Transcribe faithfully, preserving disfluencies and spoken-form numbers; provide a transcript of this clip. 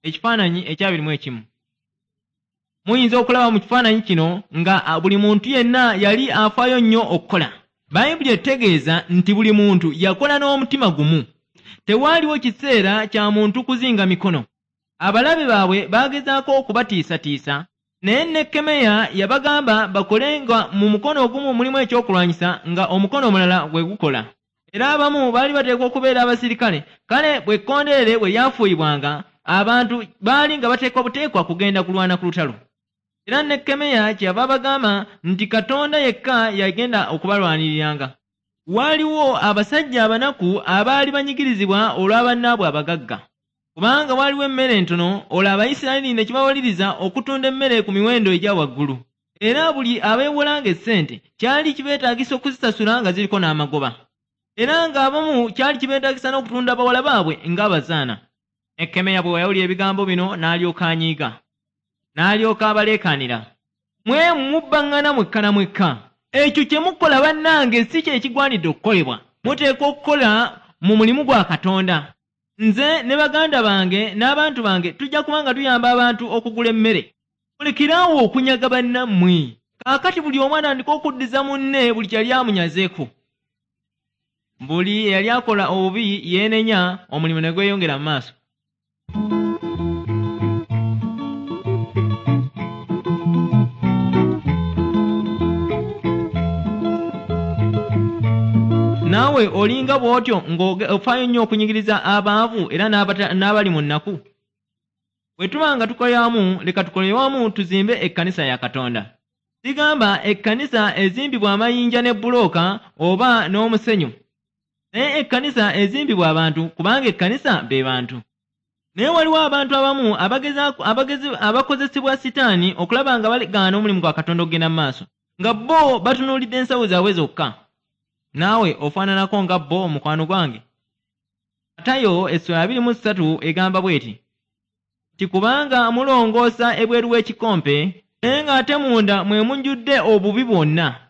Ekifaananyi ekyabiri mu ekimu. Muyinza okulaba mu kifaananyi kino nga buli muntu yenna yali afaayo nnyo okukola. Bayibuli etegeeza nti buli muntu yakola n'omutima gumu. Tewaaliwo kiseera kya muntu kuzinga mikono. Abalabe baabwe baagezaako okubatiisatiisa, naye Nekkemeya yabagamba bakole nga mu mukono ogumu mulimu ekyokulwanyisa nga omukono omulala gwe gukola. Era abamu baali bateekwa okubeera abasirikale, kale bwe kkondeere bwe lyafuuyibwanga, abantu baali nga bateekwa buteekwa kugenda kulwana ku lutalo. Era Nekkemeya kyeyava abagamba nti Katonda yekka yagenda okubalwaniriranga. Waaliwo abasajja abanaku abaali banyigirizibwa olwa bannaabwe abagagga. Kubanga waaliwo emmere entono, olwo Abayisirayiri ne kibawaliriza okutunda emmere ku miwendo egya waggulu. Era buli abeewolanga essente kyali kibeetaagisa okuzisasula nga ziriko n'amagoba. Era ng'abamu kyali kibeetaagisa n'okutunda bawala baabwe ng'abazaana. Nekkemeya bwe yawulira ebigambo bino n'alyoka anyiiga. N'alyoka abaleekaanira. Mwe mubbaŋŋana mwekka na mwekka. Ekyo kye mukola bannange si kye kigwanidde okukolebwa. Muteekwa okukola mu mulimu gwa Katonda. Nze ne baganda bange n'abantu bange tujja kuba nga tuyamba abantu okugula emmere. Mulekere awo okunyaga bannammwe. Kaakati buli omu atandika okuddiza munne buli kye yali amunyazeeko. Buli eyali akola obubi yeenenya, omulimu ne gweyongera mu maaso. Naawe olinga bw'otyo ng'ofaayo nnyo okunyigiriza abaavu era n'abali mu nnaku. Bwe tuba nga tukolera wamu, leka tukolere wamu tuzimbe ekkanisa ya Katonda. Sigamba ekkanisa ezimbibwa amayinja ne bbulooka oba n'omusenyu. Naye ekkanisa ezimbibwa abantu kubanga ekkanisa be bantu. Naye waliwo abantu abamu abakozesebwa Sitaani okulaba nga balegaana omulimu gwa Katonda okugenda mu maaso, nga bo batunuulidde ensawo zaabwe zokka. Naawe ofaananako nga bo mukwano gwange. Matayo essula abiri mu ssatu egamba bw'eti nti kubanga mulongoosa ebweru w'ekikompe, naye ng'ate munda mwe mujjudde obubi bwonna.